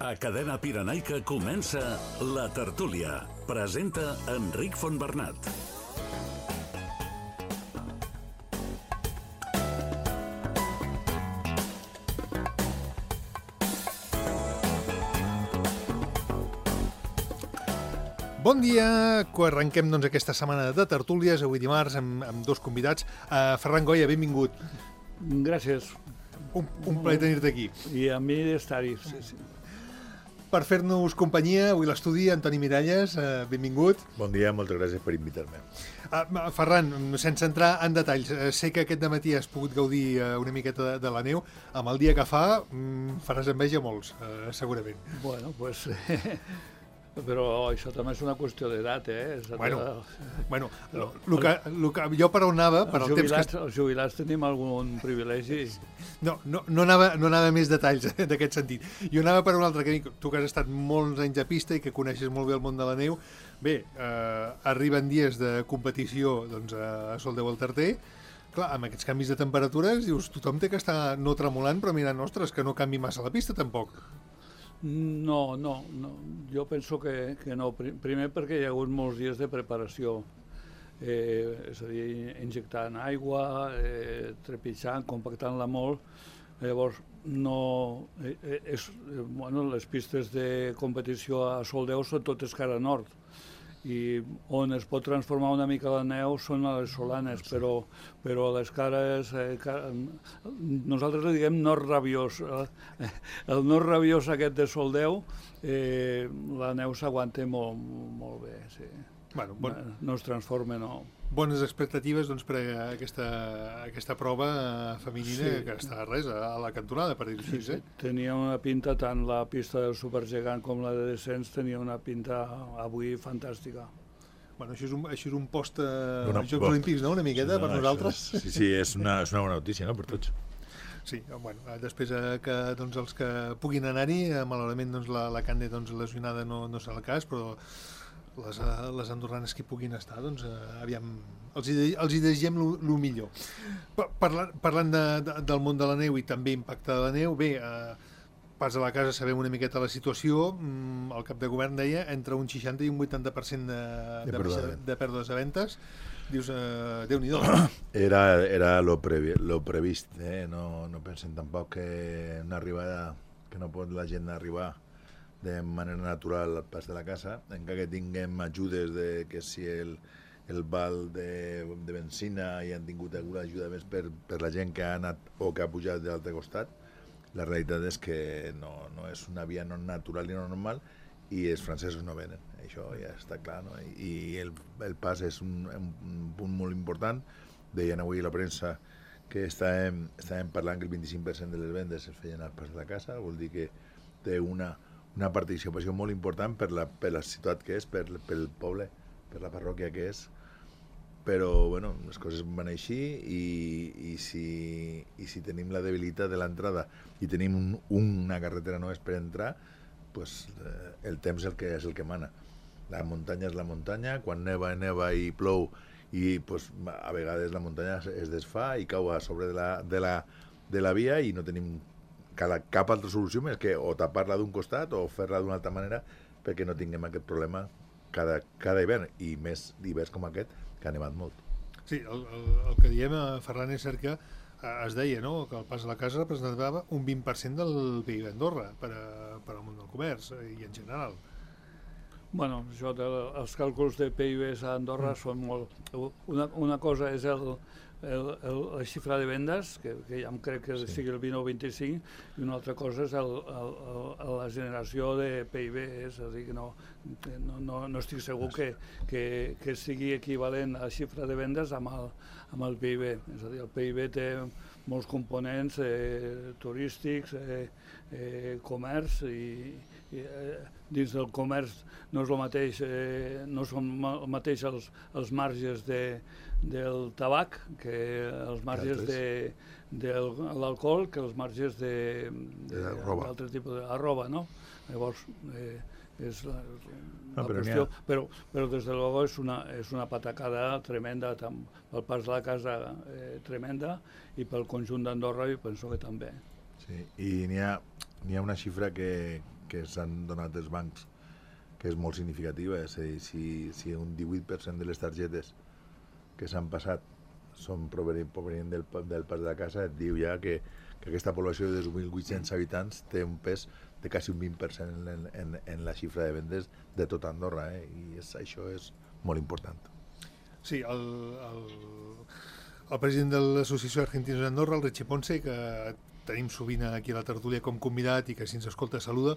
A Cadena Pirenaica comença La Tertúlia. Presenta Enric Fontbernat. Bon dia, arrenquem aquesta setmana de tertúlies, avui dimarts, amb dos convidats. Ferran Goya, benvingut. Gràcies. Un plaer tenir-te aquí. I a mi d'estar-hi. Sí. Per fer-nos companyia, avui l'estudi, Antoni Miralles, benvingut. Bon dia, moltes gràcies per invitar-me. Ferran, sense entrar en detalls, sé que aquest dematí has pogut gaudir una miqueta de la neu. Amb el dia que fa, faràs enveja a molts, segurament. Bueno, pues... Però això també és una qüestió d'edat, Bueno, jo per on anava... Els jubilats tenim algun privilegi. No anava a més detalls d'aquest sentit. Jo anava per un altre camí. Tu que has estat molts anys a pista i que coneixes molt bé el món de la neu. Bé, arriben dies de competició a Soldeu al Tarter. Clar, amb aquests canvis de temperatures, dius, tothom té que estar no tremolant, però mirant, ostres, que no canvi massa la pista, tampoc. No. Jo penso que no. Primer perquè hi ha hagut molts dies de preparació. És a dir, injectant aigua, trepitjant, compactant-la molt. Llavors, les pistes de competició a Soldeu són totes cara nord. I on es pot transformar una mica la neu són a les Solanes, però les cares... nosaltres li diguem nord rabiós. El nord rabiós aquest de Soldeu, la neu s'aguanta molt bé, sí. Bueno, no es transforma, no. Bones expectatives per aquesta prova femenina, sí. Que està a la cantonada, per dir-ho així. Sí. Tenia una pinta, tant la pista del supergegant com la de descens, tenia una pinta avui fantàstica. Bueno, això és un post als Jocs Olímpics, no?, una miqueta, per nosaltres. Sí, és una bona notícia, no?, per tots. Sí, bueno, després que els que puguin anar-hi, malauradament la Cande lesionada no serà el cas, però les andorranes que hi puguin estar, aviam, els hi desitgem el millor. Parlant del món de la neu i també impacte de la neu, bé, pas a la casa sabem una miqueta la situació, el cap de govern deia entre un 60 i un 80% de pèrdues de ventes, dius, Déu-n'hi-do. Era lo previst, no pensen tampoc que una arribada, que no pot la gent arribar de manera natural al pas de la casa, encara que tinguem ajudes que si el val de benzina i han tingut alguna ajuda més per la gent que ha anat o que ha pujat de l'altre costat, la realitat és que no és una via no natural ni no normal i els francesos no venen, això ja està clar, no? I el pas és un punt molt important. Deien avui a la premsa que estàvem parlant que el 25% de les vendes es feien al pas de la casa, vol dir que té una participació molt important per la ciutat que és, pel poble, per la parròquia que és, però bueno, les coses van així i si tenim la debilitat de l'entrada i tenim una carretera només per entrar, pues, el temps és el que mana. La muntanya és la muntanya, quan neva i plou i pues, a vegades la muntanya es desfà i cau a sobre de la via i no tenim cap altra solució més que o tapar-la d'un costat o fer-la d'una altra manera perquè no tinguem aquest problema cada hivern i més hiverns com aquest que ha nevat molt. Sí, el que diem, Ferran, és cert que es deia, no?, que el pas a la casa representava un 20% del PIB d'Andorra per al món del comerç i en general. Bueno, els càlculs de PIB a Andorra són molt... Una cosa és la xifra de vendes, que ja em crec que sigui el 20 o 25, i una altra cosa és la generació de PIB, és a dir, que no estic segur que sigui equivalent a la xifra de vendes amb el PIB. És a dir, el PIB té molts components turístics, comerç, i dins del comerç no és el mateix, no són el mateix els marges del tabac que els marges de l'alcohol que els marges d'altre tipus de roba, no? Llavors és la qüestió, però des de luego és una patacada tremenda pel pas de la casa, tremenda, i pel conjunt d'Andorra jo penso que també. Sí, i n'hi ha una xifra que que s'han donat els bancs, que és molt significativa. És a dir, si un 18% de les targetes que s'han passat són provenint del pas de la casa, et diu ja que aquesta població de 2.800 habitants té un pes de quasi un 20% en la xifra de vendes de tota Andorra, i això és molt important. Sí, el president de l'Associació Argentinos d'Andorra, el Richie Ponce, que tenim sovint aquí a la tertúlia com convidat i que si ens escolta saluda,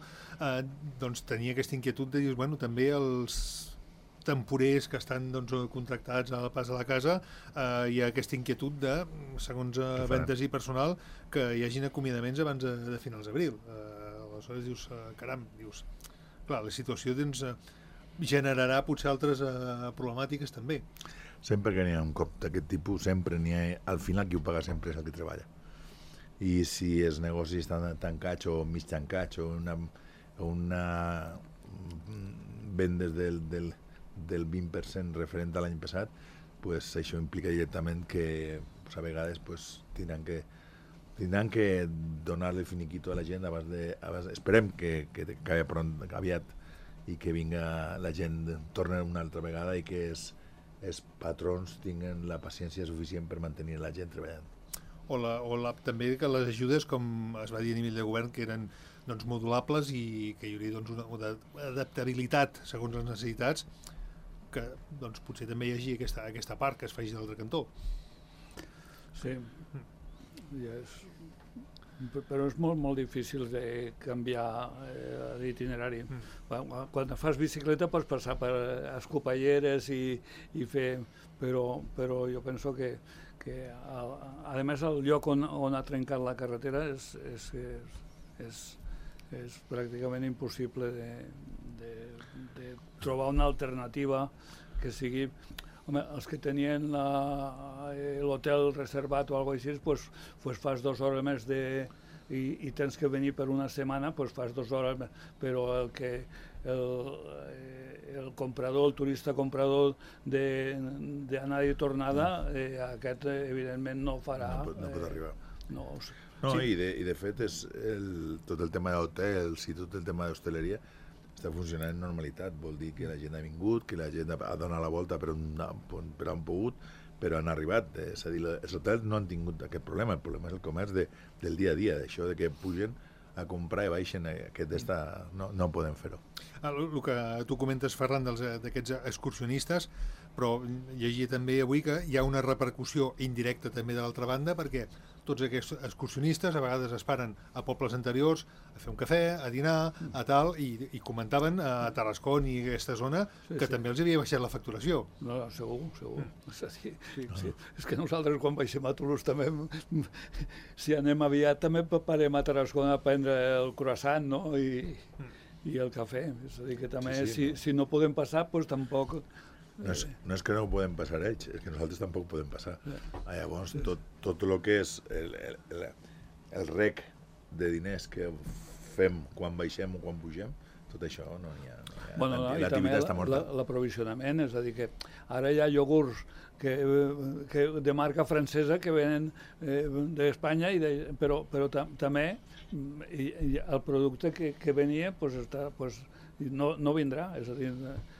doncs tenia aquesta inquietud de dir, bueno, també els temporers que estan contractats al pas de la casa, hi ha aquesta inquietud de, segons vendes i personal, que hi hagin acomiadaments abans de finals d'abril. Aleshores dius, caram, clar, la situació generarà potser altres problemàtiques també. Sempre que n'hi ha un cop d'aquest tipus, sempre n'hi ha, al final qui ho paga sempre és el que treballa. I si els negocis estan tancats o mig tancats o una vendes del 20% referent a l'any passat, pues això implica directament que a vegades tindran que donar-li finiquito a la gent esperem que acabi aviat i que vinga la gent, torna una altra vegada i que els patrons tinguen la paciència suficient per mantenir la gent treballant. També que les ajudes, com es va dir a nivell de govern, que eren modulables i que hi hauria una adaptabilitat segons les necessitats, que potser també hi hagi aquesta part que es faci de l'altre cantó. Sí, però és molt, molt difícil de canviar l'itinerari. Quan fas bicicleta pots passar per escopalleres i fer... Però jo penso que a més el lloc on ha trencat la carretera és pràcticament impossible de trobar una alternativa que sigui... Home, els que tenien l'hotel reservat o alguna cosa així, pues fas 2 hores més i tens que venir per una setmana, pues fas 2 hores més, però el comprador, el turista comprador d'anar i tornada, aquest evidentment no farà... No pot arribar. No, i de fet tot el tema d'hotels i tot el tema d'hostaleria està funcionant en normalitat, vol dir que la gent ha vingut, que la gent ha donat la volta per on han pogut, però han arribat. És a dir, els hotels no han tingut aquest problema, el problema és el comerç del dia a dia, d'això de que pugen a comprar i baixen, no podem fer-ho. El que tu comentes, Ferran, d'aquests excursionistes, però llegia també avui que hi ha una repercussió indirecta també de l'altra banda, perquè tots aquests excursionistes a vegades es paren a pobles anteriors a fer un cafè, a dinar, a tal, i comentaven a Tarrascon i aquesta zona que també els havia baixat la facturació. No, segur. És a dir, sí. És que nosaltres quan baixem a Toulouse també, si anem aviat, també parem a Tarrascon a prendre el croissant, no? I el cafè. És a dir, que també si no podem passar, doncs tampoc... No és que no ho podem passar ells, és que nosaltres tampoc podem passar. Llavors, tot el que és el rec de diners que fem quan baixem o quan pugem, tot això no hi ha. L'activitat està morta. L'aprovisionament, és a dir, que ara hi ha iogurts de marca francesa que venen d'Espanya, però també el producte que venia no vindrà, és a dir,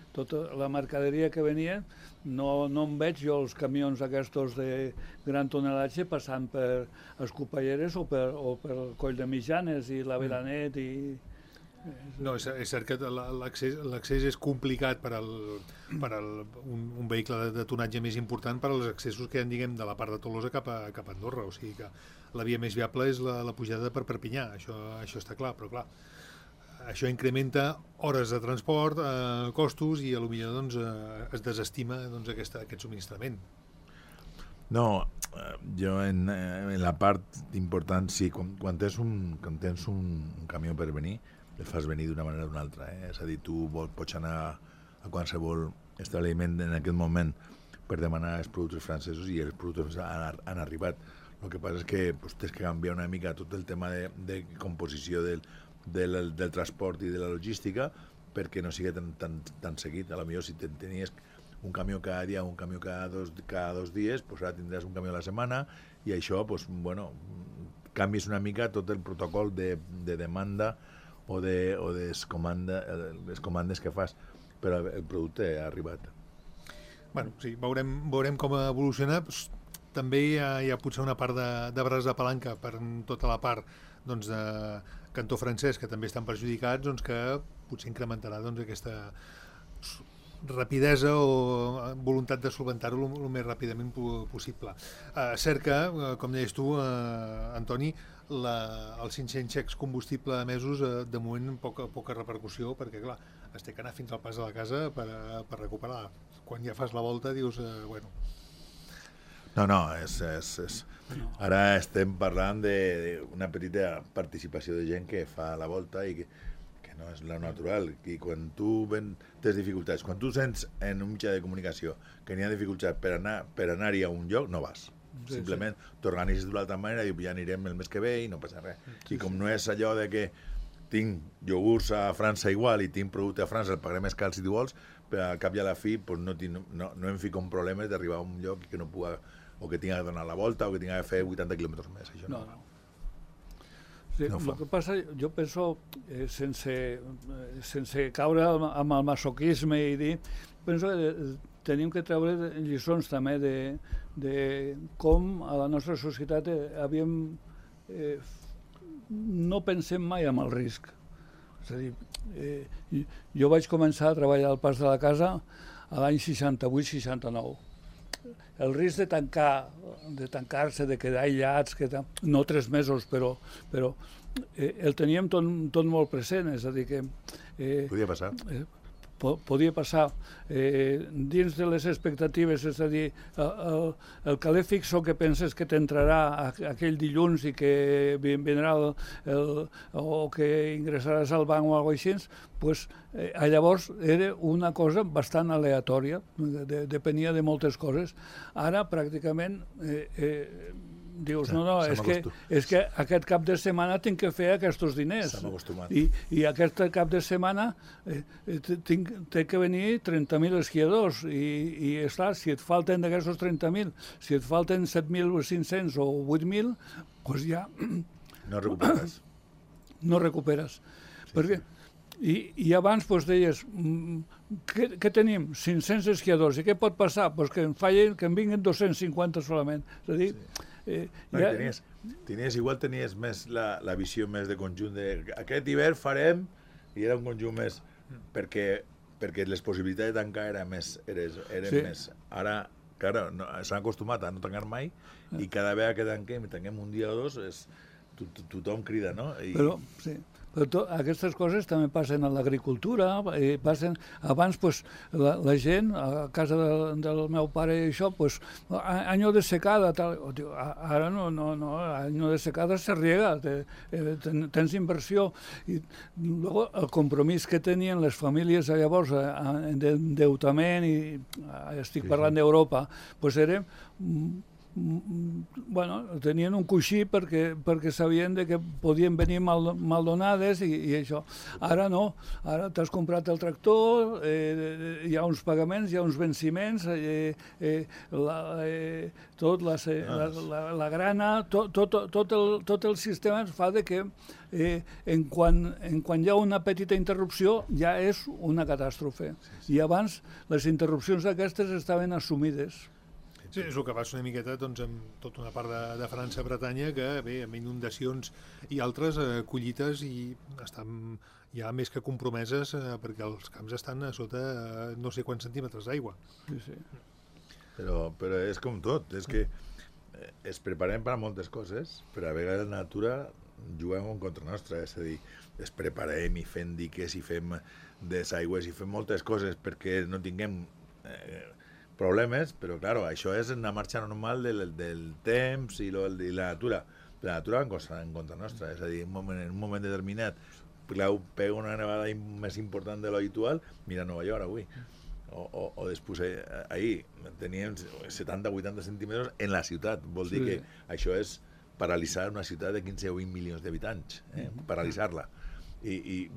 tota la mercaderia que venia, no em veig jo els camions aquests de gran tonelatge passant per Escopalleres o per Coll de Mitjanes i la Veranet i... No, és cert que l'accés és complicat per un vehicle de tonatge més important per als accessos que hi ha, diguem, de la part de Tolosa cap a Andorra, o sigui que la via més viable és la pujada per Perpinyà, això està clar, però clar, això incrementa hores de transport, costos, i potser es desestima aquest subministrament. No, jo en la part important, sí, quan tens un camió per venir, el fas venir d'una manera o d'una altra. És a dir, tu pots anar a qualsevol establiment en aquest moment per demanar els productes francesos i els productes han arribat. El que passa és que tens que canviar una mica tot el tema de composició del transport i de la logística perquè no sigui tan seguit. A la millor si tenies un camió cada dia, un camió cada dos dies, ara tindràs un camió a la setmana i això, canvis una mica tot el protocol de demanda o de les comandes que fas, però el producte ha arribat. Bueno, sí, veurem com evoluciona. També hi ha potser una part de braç de palanca per tota la part doncs, de cantó francès, que també estan perjudicats, doncs, que potser incrementarà doncs, aquesta rapidesa o voluntat de solventar-ho el més ràpidament possible. Cert que, com deies tu, Antoni, els 500 xecs combustible emesos de moment poca repercussió, perquè clar, es té que anar fins al pas de la casa per recuperar. Quan ja fas la volta dius, bueno... No, ara estem parlant d'una petita participació de gent que fa la volta i que no és la natural, i quan tu tens dificultats, quan tu sents en un mitjà de comunicació que n'hi ha dificultats per anar-hi a un lloc, no vas. Simplement t'organitzes d'una altra manera i ja anirem el mes que ve i no passa res. I com no és allò de que tinc iogurts a França igual i tinc producte a França, el pagaré més car si tu vols, però al cap i a la fi no em fico en problemes d'arribar a un lloc que no puga, o que tinga que donar la volta o que tinga que fer 80 quilòmetres més. Això no. Sí, el que passa, jo penso, sense caure amb el masoquisme i dir, penso que tenim que treure lliçons també de com a la nostra societat no pensem mai en el risc. És a dir, jo vaig començar a treballar al Pas de la Casa a l'any 68-69. El risc de tancar-se, de quedar aïllats, no 3 mesos, però el teníem tot molt present, és a dir que... Podia passar. Podia passar dins de les expectatives, és a dir, el caler fixo que penses que t'entrarà aquell dilluns i que vindrà o que ingressaràs al banc o alguna cosa així, pues, llavors era una cosa bastant aleatòria, depenia de moltes coses. Ara pràcticament dius, no, és que aquest cap de setmana tinc que fer aquests diners. I aquest cap de setmana té que venir 30.000 esquiadors i esclar, si et falten d'aquests 30.000, si et falten 7.500 o 8.000, doncs ja... No recuperes. No recuperes. Perquè i abans deies, què tenim? 500 esquiadors, i què pot passar? Doncs que en vinguin 250 solament. És a dir, tenies més la visió més de conjunt aquest hivern farem, i era un conjunt més perquè les possibilitats de tancar eren més. Ara, clar, s'han acostumat a no tancar mai i cada vegada que tanquem un dia o dos tothom crida, no? Però aquestes coses també passen a l'agricultura, abans la gent, a casa del meu pare i això, año de secada, ara no, año de secada se riega, tens inversió, i el compromís que tenien les famílies llavors d'endeutament, i estic parlant d'Europa, era... tenien un coixí perquè sabien que podien venir maldonades i això. Ara no, ara t'has comprat el tractor, hi ha uns pagaments, hi ha uns venciments, la grana, tot el sistema fa que en quan hi ha una petita interrupció ja és una catàstrofe. I abans les interrupcions aquestes estaven assumides. Sí, és el que passa una miqueta amb tota una part de França, Bretanya, que bé, amb inundacions i altres collites i estan ja més que compromeses perquè els camps estan a sota no sé quants centímetres d'aigua. Sí. Però és com tot, és que es preparem per a moltes coses, però a vegades la natura juguem en contra nostra, és a dir, es preparem i fem diques i fem desaigües i fem moltes coses perquè no tinguem problemes, però clar, això és una marxa normal del temps i la natura. La natura va en contra nostra, és a dir, en un moment determinat pega una nevada més important de l'habitual, mira Nova York avui, o després ahir teníem 70-80 centímetres en la ciutat, vol dir que això és paralitzar una ciutat de 15 o 20 milions d'habitants, paralitzar-la. I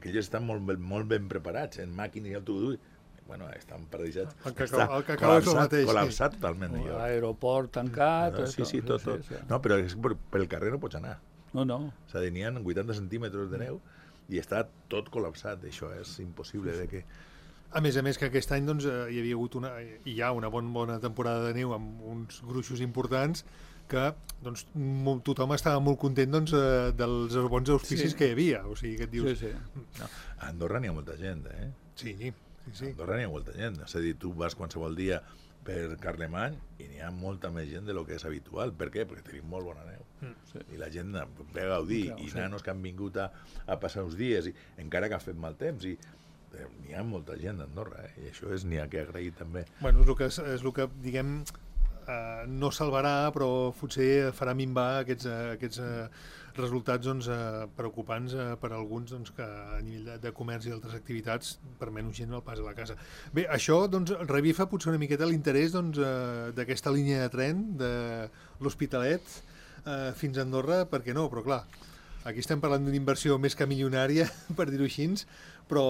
aquells estan molt ben preparats en màquines i autobús. Estan paralitzats. El que acaba és el mateix. Col·lapsat totalment. L'aeroport tancat... Sí, tot. No, però pel carrer no pots anar. No. O sigui, n'hi ha 80 centímetres de neu i està tot col·lapsat. Això és impossible de que... A més que aquest any doncs, hi havia hagut hi ha una bona temporada de neu amb uns gruixos importants que doncs, tothom estava molt content doncs, dels bons auspicis que hi havia. O sigui, que et dius... No, a Andorra n'hi ha molta gent, eh? Sí. A Andorra n'hi ha molta gent. És a dir, tu vas qualsevol dia per Carlemany i n'hi ha molta més gent de lo que és habitual. Per què? Perquè tenim molt bona neu. I la gent ve a gaudir. I nanos que han vingut a passar uns dies, i encara que ha fet mal temps, i n'hi ha molta gent a Andorra, i això n'hi ha que agrair també. Bueno, és el que diguem, no salvarà, però potser farà minvar aquests resultats doncs, preocupants per a alguns doncs, que a nivell de comerç i d'altres activitats per menys gent al pas a la casa. Bé, això doncs, revifa potser una miqueta l'interès doncs, d'aquesta línia de tren de l'Hospitalet fins a Andorra, per què no? Però clar, aquí estem parlant d'una inversió més que milionària, per dir-ho així, però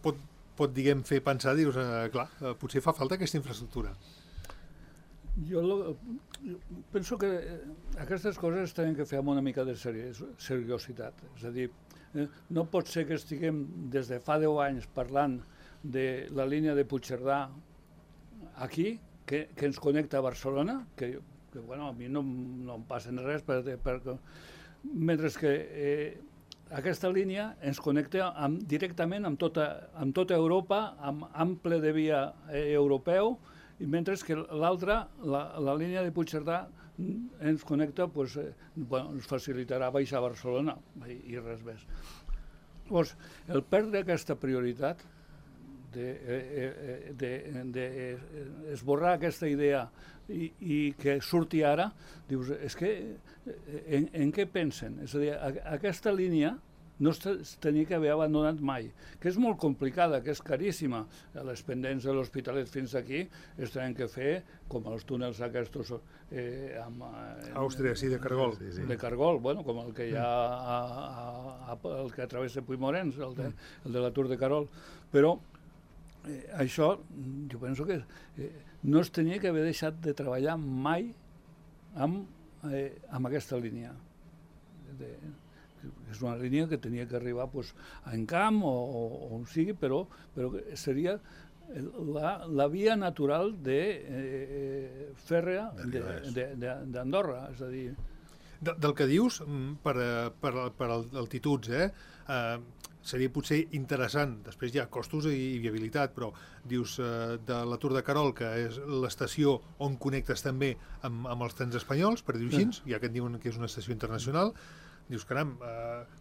pot diguem, fer pensar, dir-nos, clar, potser fa falta aquesta infraestructura. Jo penso que aquestes coses tenen que fer amb una mica de seriositat. És a dir, no pot ser que estiguem des de fa 10 anys parlant de la línia de Puigcerdà aquí, que ens connecta a Barcelona, que bueno, a mi no em passen res, mentre que aquesta línia ens connecta directament amb tota Europa, amb ample de via europeu, i mentre que l'altra, la línia de Puigcerdà, ens connecta, ens facilitarà baixar a Barcelona i res més. Llavors, el perdre aquesta prioritat, d'esborrar aquesta idea i que surti ara, dius, és que en què pensen? És a dir, aquesta línia no es tenia que haver abandonat mai, que és molt complicada, que és caríssima. Les pendents de l'Hospitalet fins aquí es tenen que fer com els túnels aquests Àustria, sí, de Cargol. De Cargol, bueno, com el que hi ha el que travessa Puigmorens, el de la Tour de Carol. Però això, jo penso que no es tenia que haver deixat de treballar mai amb aquesta línia. És una línia que tenia que arribar a Encamp o on sigui, però seria la via natural fèrrea d'Andorra. És a dir... Del que dius, per altituds, seria potser interessant, després hi ha costos i viabilitat, però dius de la Tour de Carol, que és l'estació on connectes també amb els trens espanyols, per dir-ho així, ja que et diuen que és una estació internacional, dius, caram,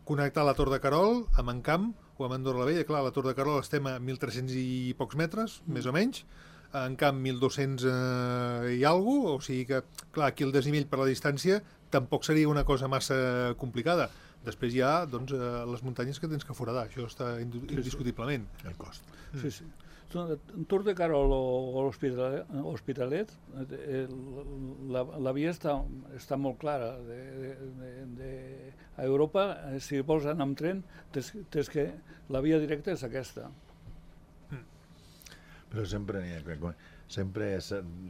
connectar la Tor de Carol amb Encamp o amb Andorra la Vella. Clar, a la Tor de Carol estem a 1.300 i pocs metres, més o menys, a Encamp 1.200 i alguna cosa, o sigui que, clar, aquí el desnivell per la distància tampoc seria una cosa massa complicada. Després hi ha doncs, les muntanyes que tens que foradar, això està indiscutiblement. El cost. Sí, sí. Tour de Carol o l'Hospitalet, la via està molt clara. A Europa, si vols anar amb tren, tens que la via directa és aquesta. Però sempre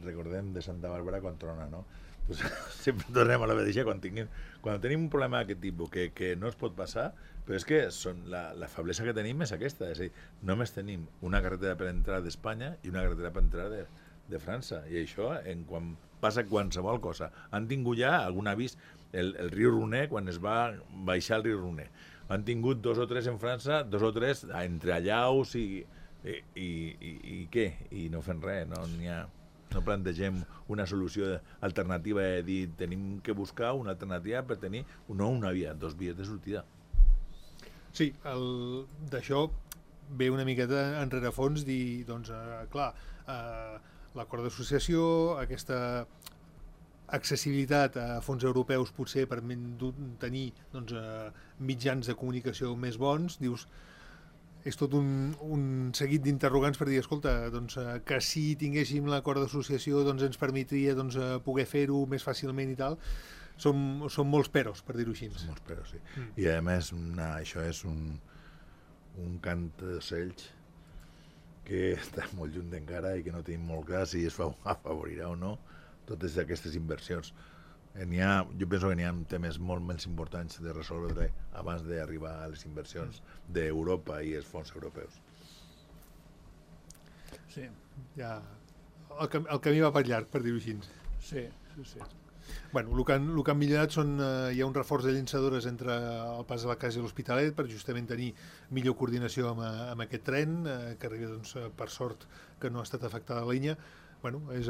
recordem de Santa Bàrbara quan trona, no? Pues, sempre tornem a la mateixa quan tenim un problema d'aquest tipus que no es pot passar, però és que la feblesa que tenim és aquesta, és a dir, només tenim una carretera per entrar d'Espanya i una carretera per entrar de França, i això quan passa qualsevol cosa. Han tingut ja algun avís, el riu Roner, quan es va baixar el riu Roner, han tingut 2 o 3 en França, 2 o 3 entre allaus i què? I no fem res, no plantegem una solució alternativa de dir tenim que buscar una alternativa per tenir no una via, 2 vies de sortida. Sí, d'això ve una miqueta en rerefons dir, doncs, clar, l'acord d'associació, aquesta accessibilitat a fons europeus potser per tenir doncs, mitjans de comunicació més bons, dius, és tot un seguit d'interrogants per dir, escolta, doncs, que si tinguéssim l'acord d'associació doncs, ens permetria doncs, poder fer-ho més fàcilment i tal. Són molts peros, per dir-ho així. Són molts peros, sí. I a més, això és un cant d'ocells que està molt lluny encara i que no tenim molt clar si es afavorirà o no totes aquestes inversions. Jo penso que n'hi ha temes molt més importants de resoldre abans d'arribar a les inversions d'Europa i els fons europeus. Sí. Ja, el camí va per llarg, per dir-ho així. Sí. Bueno, el que han millorat hi ha un reforç de llançadores entre el Pas de la Casa i l'Hospitalet per justament tenir millor coordinació amb aquest tren, que arriba, doncs, per sort que no ha estat afectada la línia. Bueno, és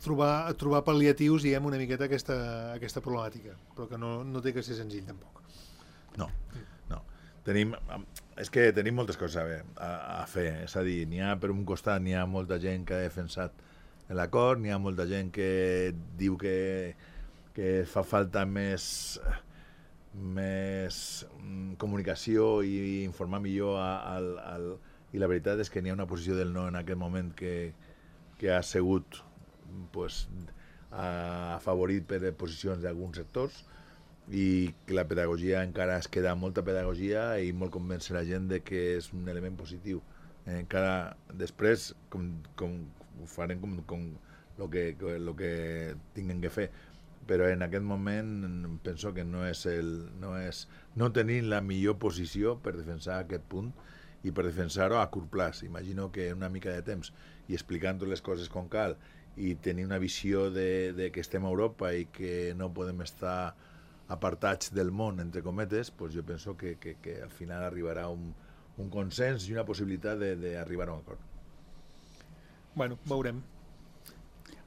trobar pal·liatius, diguem, una miqueta aquesta problemàtica, però que no té que ser senzill, tampoc. No. És que tenim moltes coses a fer, és a dir, per un costat n'hi ha molta gent que ha defensat l'acord, n'hi ha molta gent que diu que fa falta més comunicació i informar millor i la veritat és que n'hi ha una posició del no en aquest moment que ha sigut afavorit per posicions d'alguns sectors i que la pedagogia encara es queda molta pedagogia i molt convèncer la gent de que és un element positiu. Encara després ho farem com el que tinguem que fer, però en aquest moment penso que no tenim la millor posició per defensar aquest punt i per defensar-ho a curt plaç. Imagino que una mica de temps i explicant les coses com cal i tenir una visió de que estem a Europa i que no podem estar apartats del món, entre cometes, doncs jo penso que al final arribarà un consens i una possibilitat d'arribar a un acord. Bueno, veurem.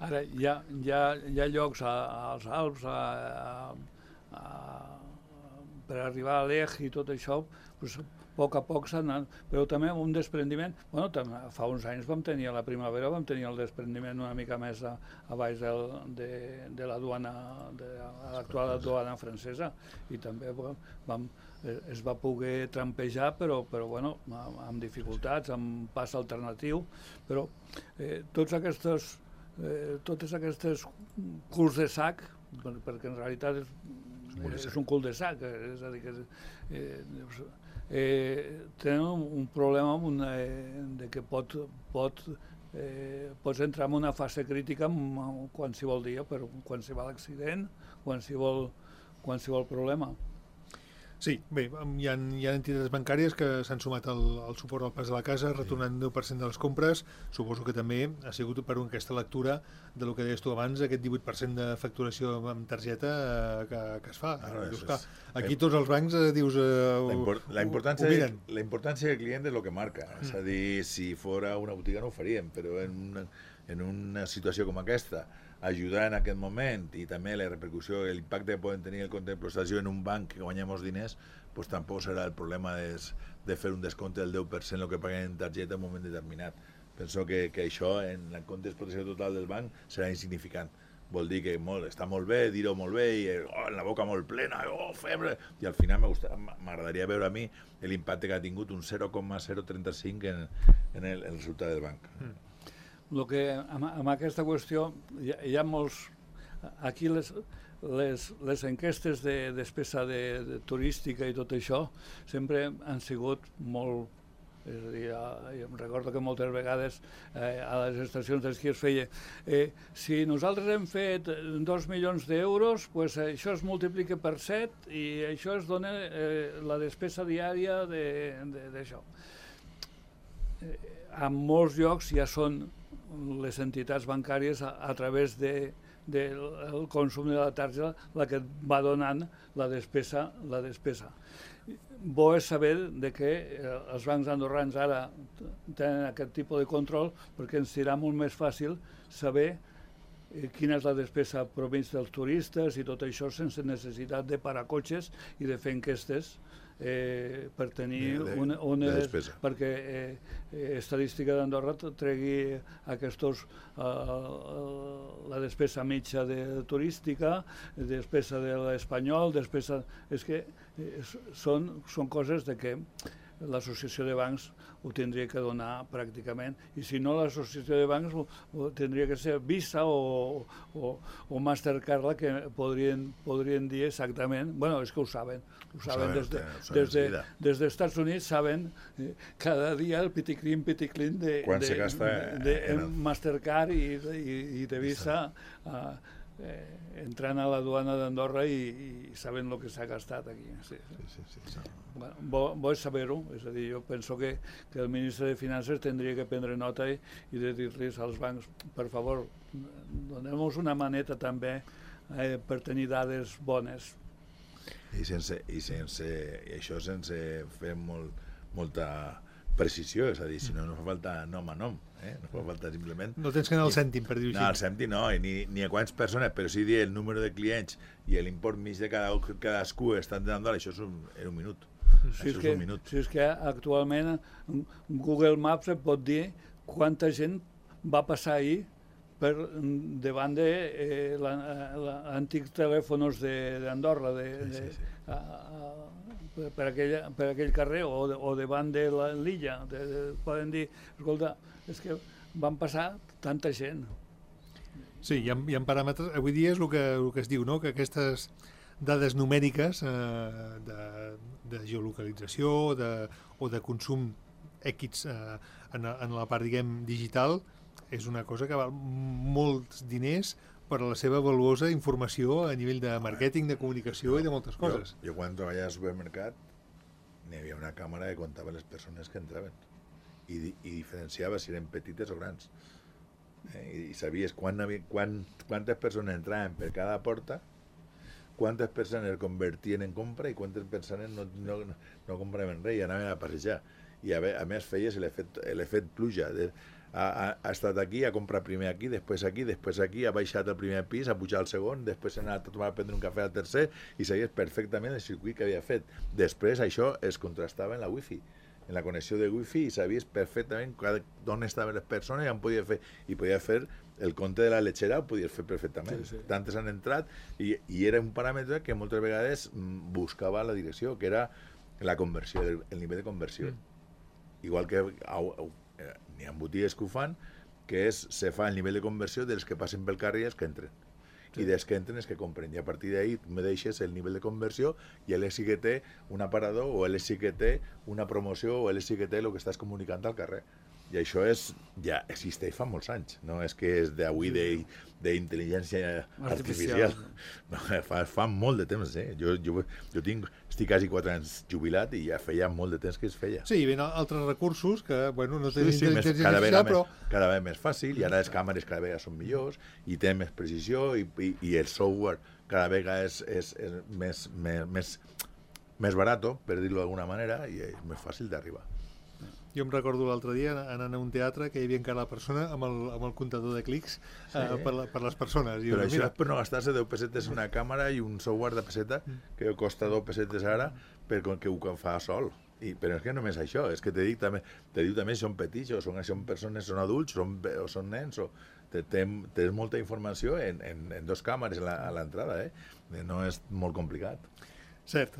Ara, hi ha llocs als Alps per arribar a l'Eix i tot això, doncs, a poc a poc s'ha anat, però també un desprendiment. Bueno, fa uns anys vam tenir, a la primavera vam tenir el desprendiment una mica més a baix de la duana, de l'actual duana francesa, i també es va poder trampejar, però bueno, amb dificultats, amb pas alternatiu, però totes aquestes culs de sac, perquè en realitat és un cul de sac, és a dir, que tenen un problema de que pots entrar en una fase crítica qualsevol dia, per qualsevol accident, qualsevol problema. Sí, bé, hi ha entitats bancàries que s'han sumat al suport al Pas de la Casa, retornant 10% de les compres. Suposo que també ha sigut per aquesta lectura del que deies tu abans, aquest 18% de facturació amb targeta que es fa. Aquí tots els bancs dius... La importància del client és el que marca. És a dir, si fora una botiga no ho faríem, però en una situació com aquesta, ajudar en aquest moment i també la repercussió, l'impacte que poden tenir el compte de prestació en un banc que guanya molts diners, doncs tampoc serà el problema de fer un descompte del 10% el que paguen en targeta en un moment determinat. Penso que això en el compte de protecció total del banc serà insignificant. Vol dir que està molt bé, dir-ho molt bé, i en la boca molt plena, febre, i al final m'agradaria veure a mi l'impacte que ha tingut un 0,035 en el resultat del banc. Amb aquesta qüestió hi ha molts... Aquí les enquestes de despesa turística i tot això sempre han sigut molt... És a dir, jo em recordo que moltes vegades a les estacions d'esquí es feia si nosaltres hem fet 2 milions d'euros, doncs això es multiplica per 7 i això es dona la despesa diària d'això. En molts llocs ja són les entitats bancàries a través del consum de la targeta la que va donant la despesa. Bo és saber que els bancs andorrans ara tenen aquest tipus de control perquè ens serà molt més fàcil saber quina és la despesa provenients dels turistes i tot això sense necessitat de parar cotxes i de fer enquestes per tenir perquè Estadística d'Andorra tregui la despesa mitja turística, despesa de l'espanyol, és que són coses de que l'associació de bancs ho tindria que donar pràcticament, i si no l'associació de bancs tindria que ser Visa o Mastercard la que podrien dir exactament, bueno, és que ho saben des dels Estats Units, saben cada dia el piticlin de Mastercard i de Visa entrant a la duana d'Andorra i sabent el que s'ha gastat aquí. Sí. Bueno, bo és saber-ho, és a dir, jo penso que el ministre de Finances tindria que prendre nota i de dir-los als bancs, per favor, donem-nos una maneta també per tenir dades bones. I això sense fer molta precisió, és a dir, si no fa falta nom a nom, no fa falta simplement... No tens que anar al cèntim, per dir-ho així. No, al cèntim no, ni a quants persones, però sí dir el número de clients i l'import mig de cadascú estan donant, això és un minut. Si és que actualment Google Maps et pot dir quanta gent va passar ahir per davant de l'antics telèfons d'Andorra, per aquell carrer o davant de l'illa. Poden dir, escolta, és que van passar tanta gent. Sí, hi ha paràmetres. Avui dia és el que es diu, no? Que aquestes dades numèriques de geolocalització o de consum X en la part, diguem, digital, és una cosa que val molts diners per a la seva valuosa informació a nivell de màrqueting, de comunicació i de moltes coses. Jo quan treballava al supermercat n'hi havia una càmera que comptava les persones que entraven i diferenciava si eren petites o grans. I sabies quantes persones entraven per cada porta, quantes persones es convertien en compra i quantes persones no compraven res i anaven a passejar. I a més feies l'efecte pluja. Ha estat aquí, ha comprat primer aquí, després aquí, ha baixat al primer pis, ha pujat al segon, després ha anat a prendre un cafè al tercer i sabies perfectament el circuit que havia fet. Després això es contrastava en la wifi, en la connexió de wifi, i sabies perfectament on estaven les persones i on podia fer. I podia fer el compte de la lechera, ho podies fer perfectament. Sí. Tantes han entrat i era un paràmetre que moltes vegades buscava la direcció, que era la conversió, el nivell de conversió. Igual que n'hi ha botigues que ho fan, que se fa el nivell de conversió dels que passen pel carrer i els que entren. I dels que entren els que compren. I a partir d'ahí me deixes el nivell de conversió i ell sí que té un aparador o ell sí que té una promoció o ell sí que té el que estàs comunicant al carrer. I això ja existeix fa molts anys. No és que és d'avui d'intel·ligència artificial. No, fa molt de temps. Jo estic quasi 4 anys jubilat i ja feia molt de temps que es feia. Sí, hi ha altres recursos que no tenen intel·ligència artificial, però... Cada vegada més fàcil, i ara les càmeres cada vegada són millors, i té més precisió, i el software cada vegada és més barat, per dir-ho d'alguna manera, i és més fàcil d'arribar. Jo em recordo l'altre dia anant a un teatre que hi havia encara la persona amb el comptador de clics per les persones. Però això és per no gastar-se 10 pessetes una càmera i un software de pesseta que costa 2 pessetes ara perquè ho fa sol. Però és que només això, és que te diu també si són petits o són persones, són adults o són nens. Tens molta informació en 2 càmeres a l'entrada. No és molt complicat. Cert,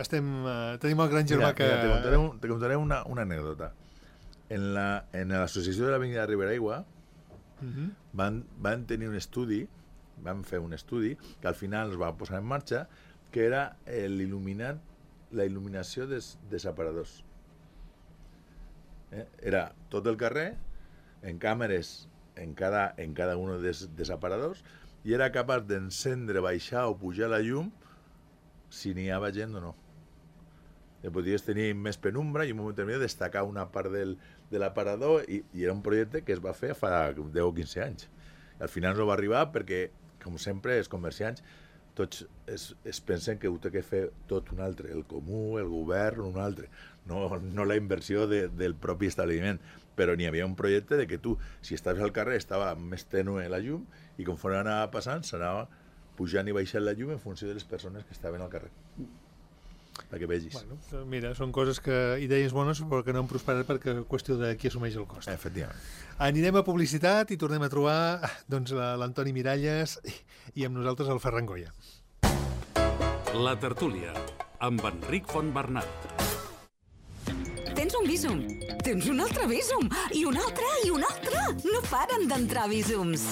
tenim el gran germà que... Te contaré una anècdota. En l'associació de l'Avinguda Riberaigua van tenir un estudi, van fer un estudi que al final es va posar en marxa, que era la il·luminació dels aparadors. Era tot el carrer, en càmeres en cada un dels aparadors, i era capaç d'encendre, baixar o pujar la llum si n'hi havia gent o no. Podies tenir més penumbra i en un moment determinat destacar una part de l'aparador i era un projecte que es va fer fa 10 o 15 anys. Al final no va arribar perquè, com sempre, els comerciants tots es pensen que ho té que fer tot un altre, el comú, el govern, un altre, no la inversió del propi establiment. Però n'hi havia un projecte de que tu, si estaves al carrer, estava més tènue la llum i conforme anava passant s'anava pujant i baixant la llum en funció de les persones que estaven al carrer. Perquè vegis. Bueno, mira, són coses idees bones però que no han prosperat perquè qüestió de qui assumeix el cost. Efectivament. Anirem a publicitat i tornem a trobar l'Antoni Miralles i amb nosaltres el Ferran Goya. La tertúlia, amb Enric Fontbernat. Tens un vísum, tens un altre vísum, i un altre, i un altre. No paren d'entrar vísums.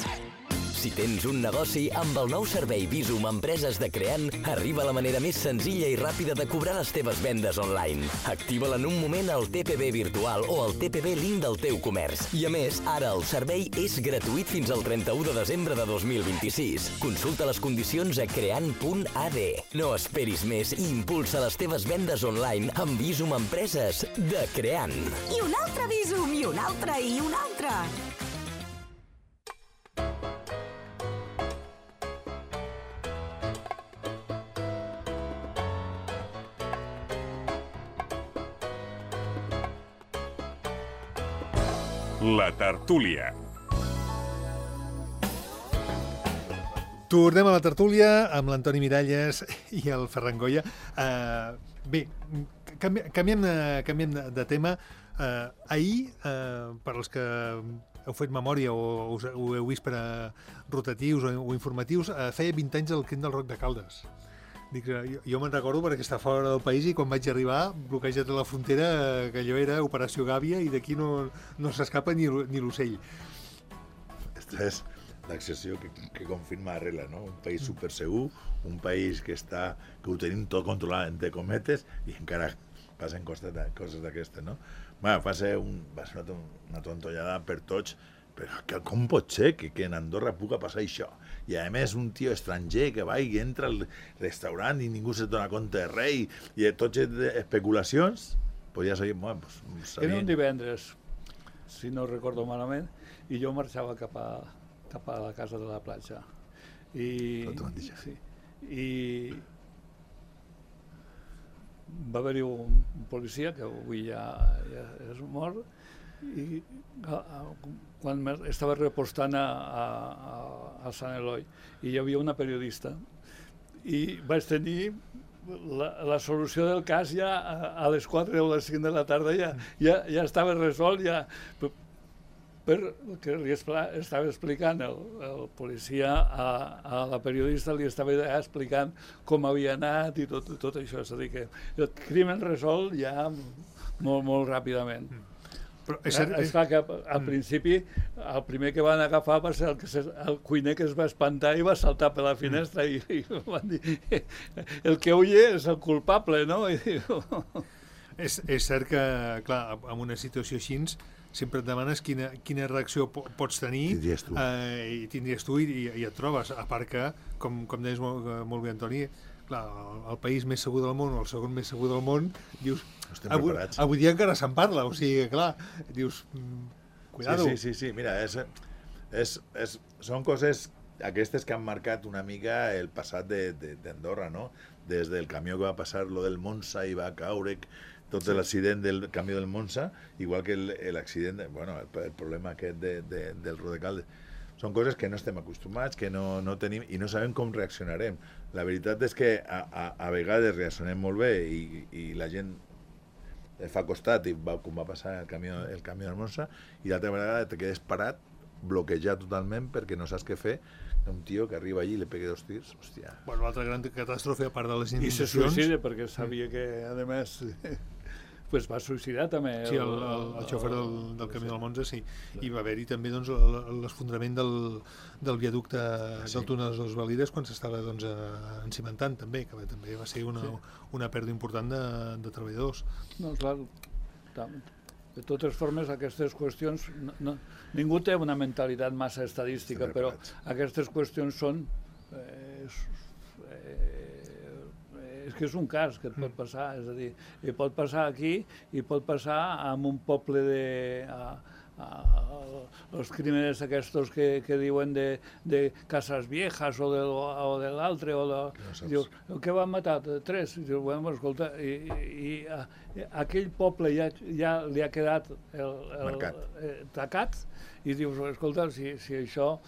Si tens un negoci, amb el nou servei Visum Empreses de Creant, arriba la manera més senzilla i ràpida de cobrar les teves vendes online. Activa-la en un moment al TPB virtual o al TPB link del teu comerç. I a més, ara el servei és gratuït fins al 31 de desembre de 2026. Consulta les condicions a creant.ad. No esperis més i impulsa les teves vendes online amb Visum Empreses de Creant. I un altre Visum, i un altre, i un altre. La tertúlia. Tornem a la tertúlia amb l'Antoni Miralles i el Ferran Goya. Bé, canviem de tema. Ahir, per als que heu fet memòria o ho heu vist per a rotatius o informatius, feia 20 anys el crim del Roc de Caldes. Dic, jo me'n recordo perquè està fora del país i quan vaig arribar, bloquejat a la frontera, que allò era Operació Gàbia i d'aquí no s'escapa ni l'ocell. Esta és l'excepció que confirma la regla, no? Un país supersegur, un país que ho tenim tot controlat, entre cometes, i encara passen coses d'aquestes, no? Bueno, va ser una tontollada per tots, però com pot ser que en Andorra puga passar això? I a més un tio estranger que va i entra al restaurant i ningú se dona compte de res i tots especulacions, pues ja sabíem, bueno, pues sabíem. Era un divendres, si no recordo malament, i jo marxava cap a la casa de la platja. I va haver-hi un policia, que avui ja és mort, i quan estava repostant a Sant Eloi i hi havia una periodista i vaig tenir la solució del cas ja a les 4 o les 5 de la tarda ja estava resolt perquè li estava explicant el policia a la periodista, li estava explicant com havia anat i tot això, és a dir que el crimen resolt ja molt ràpidament. Però és clar que al principi el primer que van agafar va ser el cuiner que es va espantar i va saltar per la finestra i van dir el que oye és el culpable, no? És cert que, clar, en una situació així sempre et demanes quina reacció pots tenir i tindries tu i et trobes, a part que, com deies molt bé, Antoni, clar, el país més segur del món o el segon més segur del món, dius, avui dia encara se'n parla, o sigui, clar, dius, cuidado. Sí, mira, són coses aquestes que han marcat una mica el passat d'Andorra, no? Des del camió que va passar, lo del Monza i va caure, tot l'accident del camió del Monza, igual que l'accident, bueno, el problema aquest del Rodecaldes. Són coses que no estem acostumats, que no tenim i no sabem com reaccionarem. La veritat és que a vegades reaccionem molt bé i la gent fa costat, com va passar el camió del Monza, i l'altra vegada te quedes parat, bloquejat totalment perquè no saps què fer, un tio que arriba allí i li pega 2 tirs, hòstia. Bueno, l'altra gran catàstrofe, a part de les inundacions... I se suïcida perquè sabia que, a més... pues va suïcidar també. Sí, el xòfer del camió del Monza, sí. I va haver-hi també l'esfondrament del viaducte del túnel de les Valides quan s'estava encimentant també, que també va ser una pèrdua important de treballadors. No, clar, de totes formes aquestes qüestions, ningú té una mentalitat massa estadística, però aquestes qüestions són... és que és un cas que et pot passar, és a dir, i pot passar aquí i pot passar en un poble els crímenes aquests que diuen de Casas Viejas o de l'altre, dius, què van matar? 3? Dius, bueno, escolta, i aquell poble ja li ha quedat tacat i dius, escolta, si això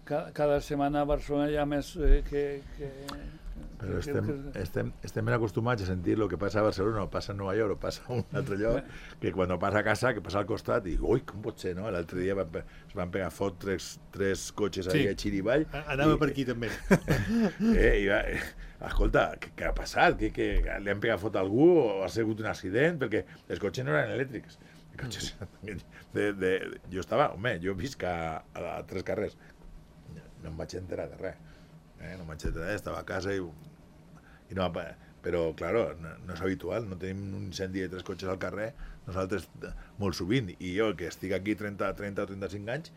cada setmana a Barcelona hi ha més que... Però estem ben acostumats a sentir el que passa a Barcelona o passa a Nova York o passa a un altre lloc, que quan passa a casa, que passa al costat i ui, com pot ser, no? L'altre dia es van pegar fot tres cotxes a Xirivall. Anava per aquí també. Escolta, què ha passat? Que li han pegat fot a algú o ha sigut un accident? Perquè els cotxes no eren elèctrics. Cotxes. Jo estava, jo visc a 3 carrers, no em vaig enterar de res, no em vaig enterar, estava a casa i no, però, claro, no és habitual, no tenim un incendi de 3 cotxes al carrer, nosaltres molt sovint, i jo que estic aquí 30 o 35 anys,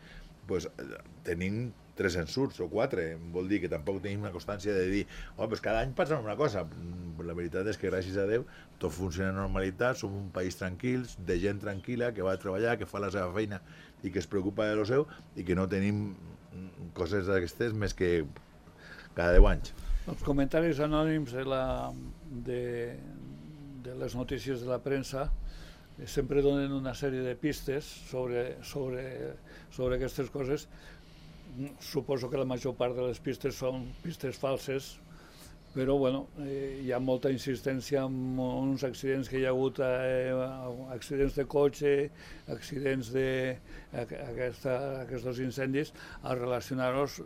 pues, tenim 3 ensurts o 4, vol dir que tampoc tenim una constància de dir, pues cada any passa una cosa. La veritat és que gràcies a Déu tot funciona amb normalitat, som un país tranquil, de gent tranquil·la, que va a treballar, que fa la seva feina i que es preocupa de lo seu i que no tenim coses d'aquestes més que cada 10 anys. Els comentaris anònims de les notícies de la premsa sempre donen una sèrie de pistes sobre aquestes coses. Suposo que la major part de les pistes són pistes falses, però bueno, hi ha molta insistència en uns accidents que hi ha hagut, accidents de cotxe, accidents d'aquests incendis, a relacionar-los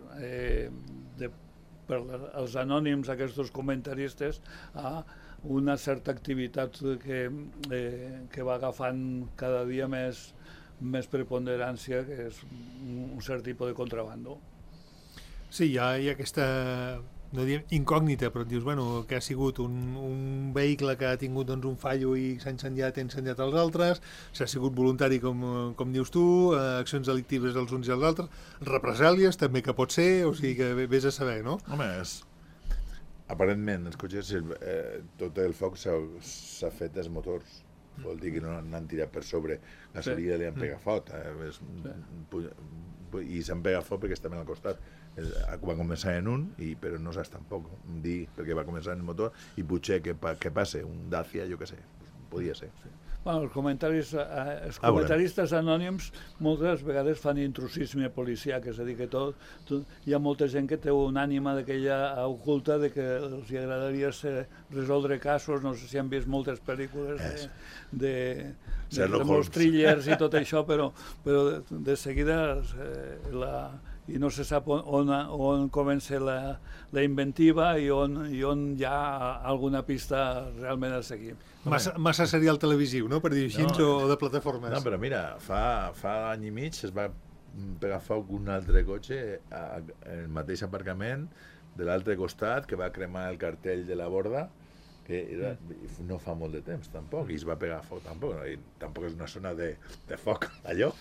per els anònims, aquests comentaristes, a una certa activitat que va agafant cada dia més preponderància, que és un cert tipus de contrabando. Sí, hi ha aquesta, no diem incògnita, però et dius, bueno, que ha sigut un vehicle que ha tingut doncs, un fallo i s'ha incendiat els altres, s'ha sigut voluntari, com dius tu, accions delictives dels uns i els altres, represàlies també que pot ser, o sigui que vés a saber, no? Home, aparentment, els cotxes, tot el foc s'ha fet dels motors. Vol dir que no n'han tirat per sobre gasolina i li han pegat foc. I s'han pegat foc perquè estaven al costat. Va començar en un, però no saps tampoc dir perquè va començar en el motor i potser que passe un Dacia, jo què sé, podia ser. Bueno, els comentaristes anònims moltes vegades fan intrusisme policiac, és a dir, que hi ha molta gent que té una ànima d'aquella oculta de que els agradaria resoldre casos, no sé si han vist moltes pel·lícules de molts thrillers i tot això, però de seguida i no se sap on comença la inventiva i on hi ha alguna pista realment a seguir. Massa serial televisiu, no?, per dir així, o de plataformes. No, però mira, fa any i mig es va pegar foc un altre cotxe en el mateix aparcament de l'altre costat, que va cremar el cartell de la borda, que no fa molt de temps, tampoc, i es va pegar foc, tampoc és una zona de foc, allò.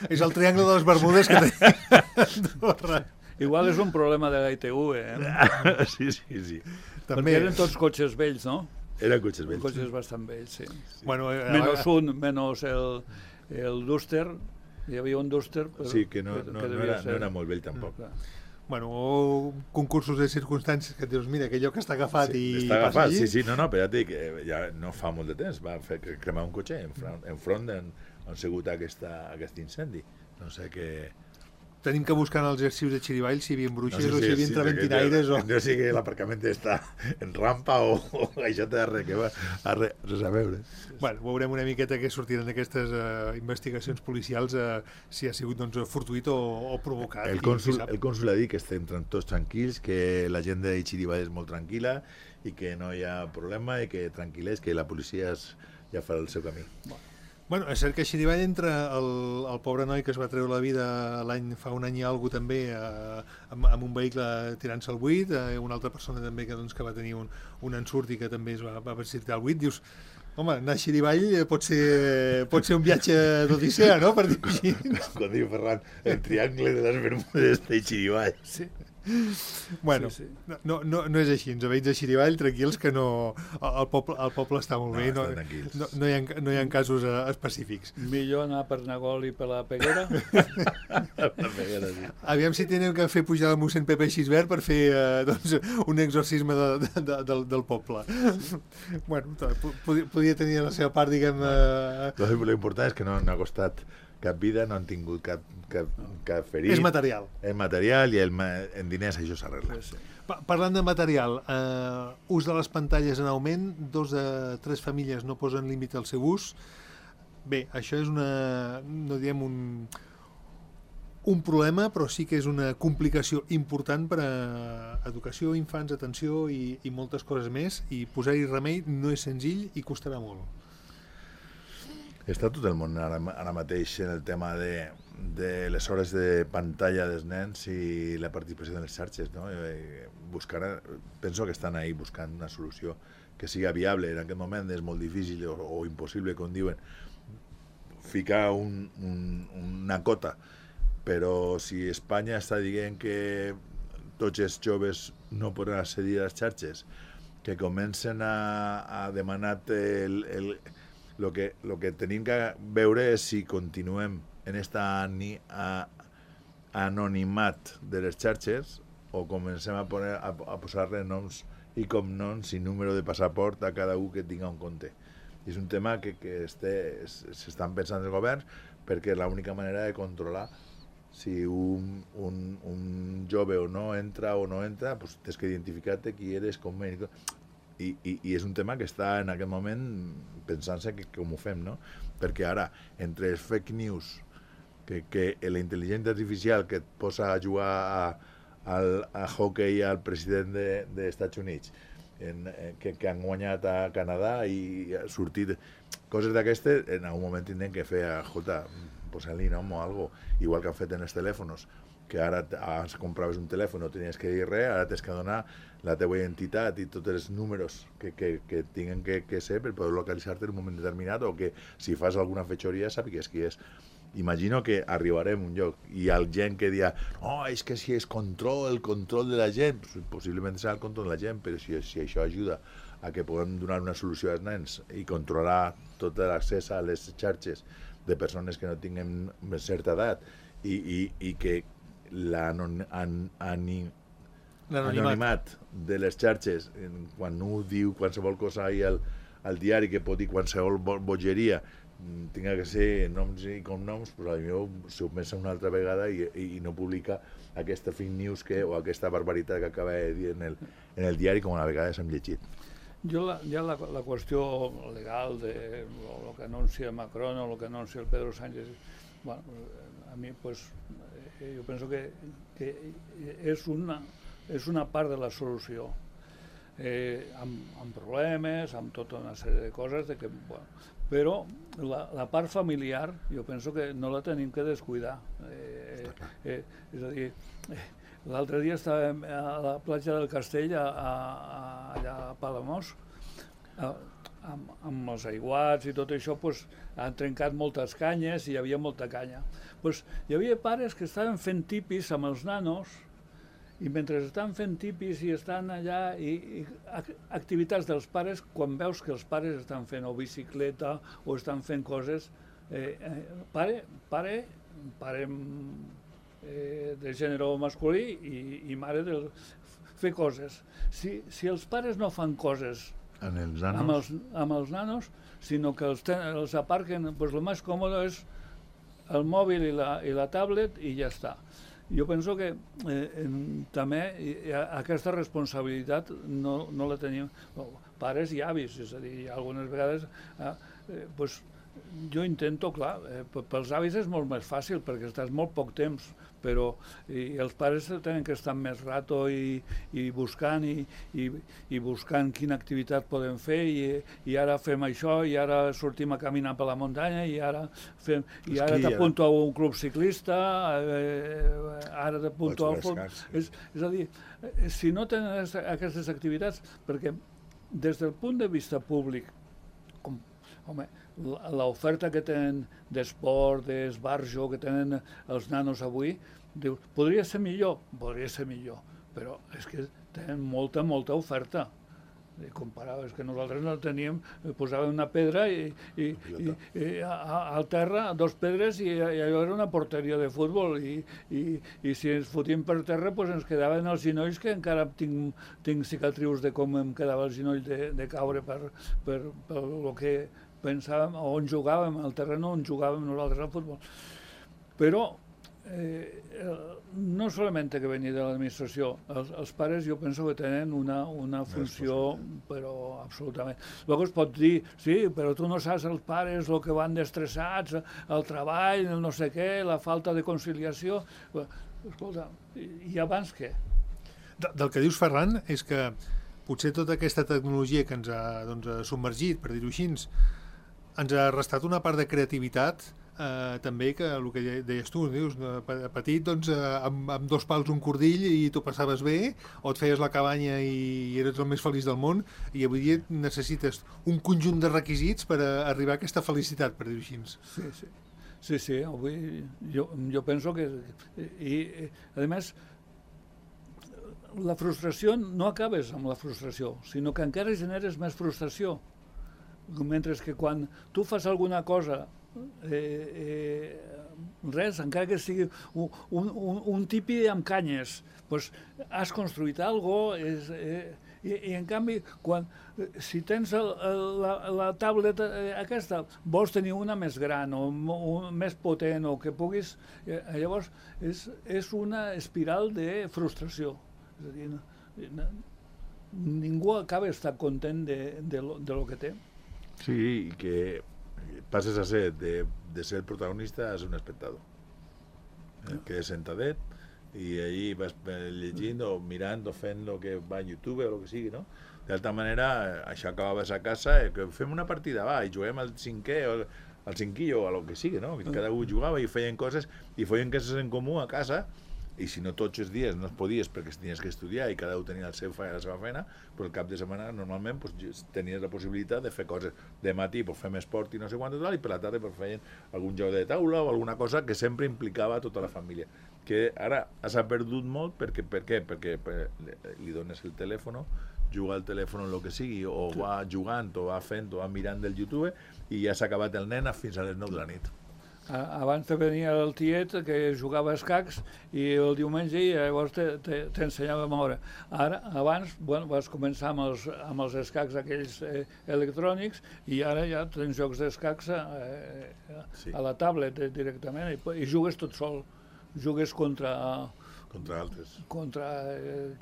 És el triangle de les Bermudes que té Andorra. Igual és un problema de la ITV, Sí. Perquè eren tots cotxes vells, no? Eren cotxes vells. Cotxes bastant vells, sí. Menys el Duster, hi havia un Duster. Sí, que no era molt vell tampoc. Bueno, o concursos de circumstàncies que et dius, mira, aquell lloc està agafat i està agafat, sí, no, però ja et dic, ja no fa molt de temps, va cremar un cotxe enfront d'on ha sigut aquest incendi. No sé què... Tenim que buscar en els arxius de Xirivall si hi havia bruixes o si hi havia traventinaires o... No sé que l'aparcament està en rampa o això té res a veure. Bueno, veurem una miqueta què sortiran d'aquestes investigacions policials, si ha sigut fortuït o provocat. El cònsul ha dit que estem tots tranquils, que la gent de Xirivall és molt tranquil·la i que no hi ha problema i que tranquil·lers, que la policia ja farà el seu camí. Bueno, és cert que a Xirivall entra el pobre noi que es va treure la vida fa un any i alguna també amb un vehicle tirant-se al buit, una altra persona també que va tenir un ensurt i que també es va precipitar al buit. Dius, home, anar a Xirivall pot ser un viatge d'odissea, no?, per dir-ho així. Com diu Ferran, el triangle de les Bermudes de Xirivall. Sí. Bueno, sí. No és així, ens veïns de Xirivall tranquils, que no, el poble està molt bé, no hi ha casos específics. Millor anar per Nagol i per la Peguera. Aviam si tenim que fer pujar el mossèn Pepe Xisbert per fer un exorcisme del poble. Bueno, podia tenir la seva part, diguem... L'important és que no ha costat cap vida, no han tingut cap ferit. És material. És material i en diners això s'arregla. Sí. Parlant de material, ús de les pantalles en augment, 2 de 3 famílies no posen límit al seu ús. Bé, això és no diem un problema, però sí que és una complicació important per a educació, infants, atenció i moltes coses més, i posar-hi remei no és senzill i costarà molt. Està tot el món ara mateix en el tema de les hores de pantalla dels nens i la participació de les xarxes, no? Penso que estan ahí buscant una solució que siga viable. En aquest moment és molt difícil o impossible, com diuen, ficar una cota, però si Espanya està dient que tots els joves no poden accedir a les xarxes, que comencen a demanar lo que tenim que veure és si continuem en esta anonimat de les xarxes o comencem a posar-li noms i cognoms i número de passaport a cada un que tinga un compte. I és un tema que s'estan pensant els governs, perquè és l'única manera de controlar si un jove o no entra, pues tens que identificar-te qui eres, com eres. I és un tema que està en aquest moment pensant-se com ho fem, no? Perquè ara, entre els fake news, que la intel·ligència artificial que et posa a jugar a hockey al president dels Estats Units, que han guanyat a Canadà i ha sortit coses d'aquestes, en algun moment tindrem que fer, escolta, posar-li nom o alguna cosa, igual que han fet en els telèfons, que ara abans compraves un telèfon, no tenies que dir res, ara tens que donar la teva identitat i tots els números que tinguin que ser per poder localitzar-te en un moment determinat, o que si fas alguna fetxoria sàpigues qui és. Imagino que arribarem a un lloc i hi ha gent que dirà és que si és el control de la gent, possiblement serà el control de la gent, però si això ajuda a que puguem donar una solució als nens i controlar tot l'accés a les xarxes de persones que no tinguin certa edat i que l'anonimat de les xarxes, quan un diu qualsevol cosa ahir al diari que pot dir qualsevol bogeria, tinga que ser noms i cognoms, doncs potser s'ho pensa una altra vegada i no publica aquesta fake news o aquesta barbaritat que acaba de dir en el diari, com a vegades hem llegit. Ja la qüestió legal de lo que anuncia Macron o lo que anuncia el Pedro Sánchez, bueno, a mi pues jo penso que és una part de la solució, amb problemes, amb tota una sèrie de coses, però la part familiar jo penso que no la tenim que descuidar. És a dir, l'altre dia estàvem a la platja del Castell, allà a Palamós, amb els aiguats i tot això, han trencat moltes canyes i hi havia molta canya. Hi havia pares que estaven fent tipis amb els nanos, i mentre estan fent tipis i estan allà, i activitats dels pares, quan veus que els pares estan fent o bicicleta o estan fent coses, pare de gènere masculí i mare de fer coses. Si els pares no fan coses amb els nanos, sinó que els aparquen, el més còmode és el mòbil i la tablet i ja està. Jo penso que també aquesta responsabilitat no la tenim pares i avis, és a dir, algunes vegades jo intento, clar, pels avis és molt més fàcil perquè estàs molt poc temps, però els pares tenen que estar més rato i buscant quina activitat podem fer, i ara fem això, i ara sortim a caminar per la muntanya, i ara t'apunto a un club ciclista, ara t'apunto al futbol. És a dir, si no tenen aquestes activitats, perquè des del punt de vista públic, home, l'oferta que tenen d'esport, d'esbarjo, que tenen els nanos avui, dius, podria ser millor, però és que tenen molta oferta. Comparaves que nosaltres no teníem, posàvem una pedra i al terra, 2 pedres, i allò era una porteria de futbol, i si ens fotíem per terra ens quedaven els genolls, que encara tinc cicatrius de com em quedava el genoll de caure per el que pensàvem, on jugàvem, al terreno on jugàvem nosaltres al futbol. Però no solament que venir de l'administració, els pares jo penso que tenen una funció, però absolutament. Llavors es pot dir, sí, però tu no saps els pares el que van destressats, el treball, el no sé què, la falta de conciliació. Escolta, i abans què? Del que dius, Ferran, és que potser tota aquesta tecnologia que ens ha submergit, per dir-ho així, ens ha restat una part de creativitat, també, que el que deies tu, dius, petit, doncs, amb 2 pals un cordill i tu passaves bé, o et feies la cabanya i eres el més feliç del món, i avui dia necessites un conjunt de requisits per arribar a aquesta felicitat, per dir-ho així. Sí, avui jo penso que... I, a més, la frustració no acabes amb la frustració, sinó que encara generes més frustració. Mentre que quan tu fas alguna cosa, res, encara que sigui un tipi amb canyes, doncs has construït alguna cosa, i en canvi, si tens la tablet aquesta, vols tenir una més gran o més potent o que puguis, llavors és una espiral de frustració. És a dir, ningú acaba d'estar content de lo que té. Sí, i que passes a ser, de ser el protagonista, a ser un espectador. Que és sentadet, i allí vas llegint o mirant o fent el que va a YouTube o el que sigui, no? D'altra manera, això acabaves a casa, que fem una partida, va, i juguem al cinquè o al cinquillo o el que sigui, no? Cada un jugava i feien coses en comú a casa, i si no tots els dies no es podies perquè tenies que estudiar i cada un tenia la seva feina, però el cap de setmana normalment tenies la possibilitat de fer coses de matí, fem esport i no sé quant i per la tarda feien algun joc de taula o alguna cosa que sempre implicava tota la família, que ara s'ha perdut molt. Per què? Perquè li dones el telèfon, juga al telèfon el que sigui, o va jugant o va fent o va mirant del YouTube i ja s'ha acabat el nen fins a les 9 de la nit. Abans te venia el tiet que jugava a escacs i el diumenge i llavors t'ensenyava a moure. Abans vas començar amb els escacs aquells electrònics i ara ja tens jocs d'escacs a la tablet directament i jugues tot sol. Jugues contra altres. Contra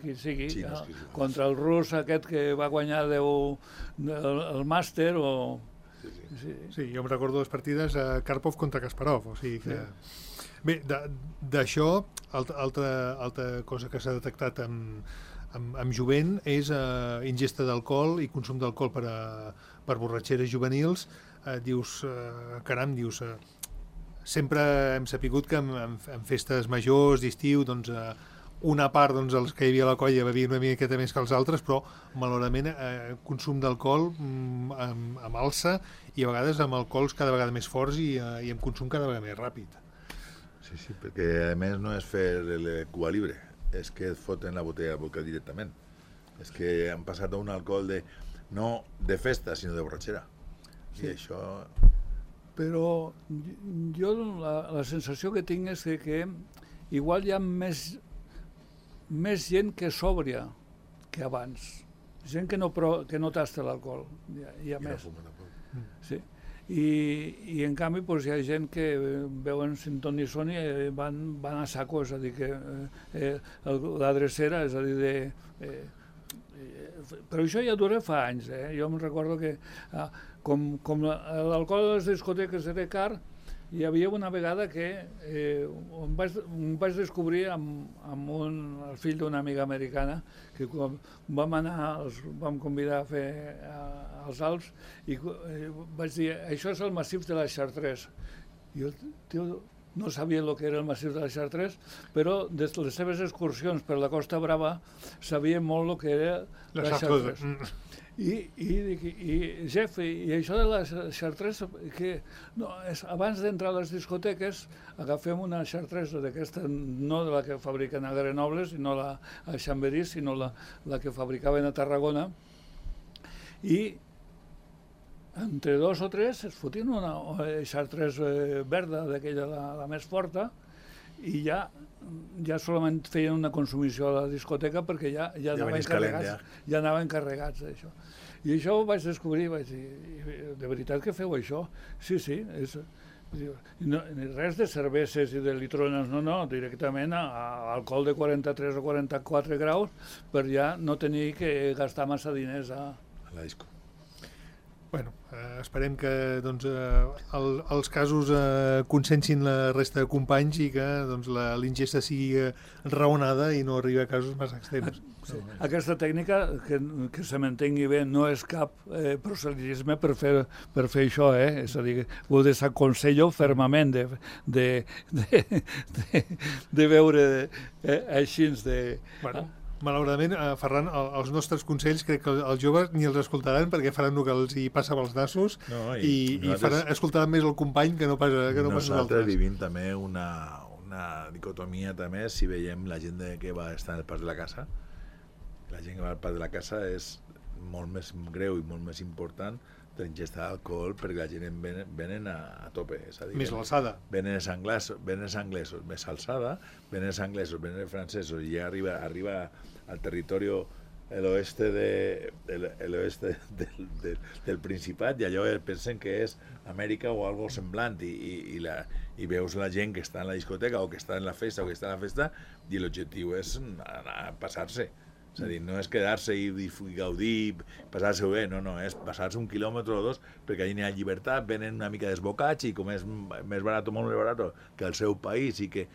qui sigui. Contra el rus aquest que va guanyar el màster o... Sí, jo em recordo les partides a Karpov contra Kasparov, o sigui que... Bé, d'això, altra cosa que s'ha detectat amb jovent és ingesta d'alcohol i consum d'alcohol per borratxeres juvenils. Dius, caram, sempre hem sapigut que en festes majors, d'estiu, doncs una part, doncs, els que hi havia a la colla bevien una miqueta més que els altres, però malauradament consum d'alcohol amb alça i a vegades amb alcohols cada vegada més forts i amb consum cada vegada més ràpid. Sí, perquè a més no és fer el Cuba Libre, és que et foten la botella de vodka directament. És que han passat a un alcohol no de festa, sinó de borratxera. I això... Però jo la sensació que tinc és que igual hi ha més gent que sòbria que abans. Gent que no tasta l'alcohol. Hi ha més. Sí. I en canvi hi ha gent que veuen Sinton i Sony i van a saco, és a dir, que la drecera, és a dir, però això ja dura fa anys. Jo em recordo que com l'alcohol a les discoteques era car, hi havia una vegada que em vaig descobrir amb el fill d'una amiga americana que quan vam convidar a fer els Alps i vaig dir, això és el massís de la Chartreuse. I el tio no sabia el que era el massís de la Chartreuse, però des de les seves excursions per la Costa Brava sabia molt el que era la Chartreuse. I Jeff, i això de la Chartreuse, que abans d'entrar a les discoteques agafem una Chartreuse d'aquesta, no de la que fabriquen a Grenoble, sinó a Chambéry, sinó la que fabricaven a Tarragona, i entre 2 o 3 es fotien una Chartreuse verda, d'aquella la més forta, i ja solament feien una consumició a la discoteca perquè ja anaven carregats d'això. I això ho vaig descobrir, vaig dir, de veritat que feu això? Sí, res de cerveses i de litrones, no, directament a alcohol de 43 o 44 graus per ja no tenir que gastar massa diners a la disco. Bueno, esperem que doncs, els casos consensin la resta de companys i que doncs, l'ingesta sigui raonada i no arribi a casos massa extrems. Sí. Aquesta tècnica, que se m'entengui bé, no és cap proselitisme per fer això, és a dir, ho desaconsello fermament de veure així Bueno. Malauradament, Ferran, els nostres consells crec que els joves ni els escoltaran perquè faran el que els hi passa pels nassos i escoltaran més el company que no pas nosaltres. Nosaltres vivim també una dicotomia també, si veiem la gent que va estar al pas de la casa. La gent que va al pas de la casa és molt més greu i molt més important de l'ingesta d'alcohol perquè la gent venen a tope. És a dir, més l'alçada. Venen els anglesos més alçada, venen els anglesos, venen els francesos i ja arriba al territori el oeste del Principat i allò pensen que és Amèrica o algo semblant i veus la gent que està en la discoteca o que està en la festa i l'objectiu és anar a passar-se. És a dir, no és quedar-se i gaudir, passar-se-ho bé, no, és passar-se 1 quilòmetre o 2 perquè allà n'hi ha llibertat, venen una mica desbocats i com és més barat o molt més barat que el seu país i que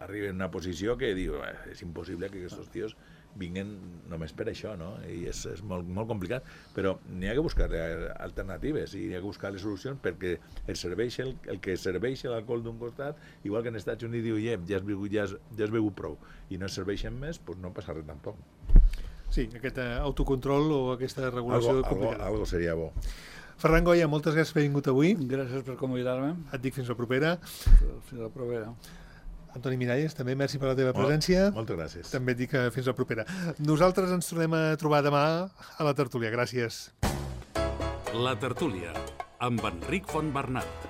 arriben a una posició que diu, és impossible que aquests tios vinguen només per això, no? I és molt, molt complicat, però n'hi ha que buscar alternatives i n'hi ha que buscar les solucions perquè el que serveix l'alcohol d'un costat, igual que en Estats Units diu, ja has begut prou i no serveixen més, doncs no passa res tampoc. Sí, aquest autocontrol o aquesta regulació complicada. Algo seria bo. Ferran Goya, moltes gràcies per haver vingut avui. Gràcies per convidar-me. Et dic fins la propera. Fins la propera. Antoni Miralles, també merci per la teva presència. Moltes gràcies. També et dic fins la propera. Nosaltres ens tornem a trobar demà a la tertúlia. Gràcies. La tertúlia, amb Enric Fontbernat.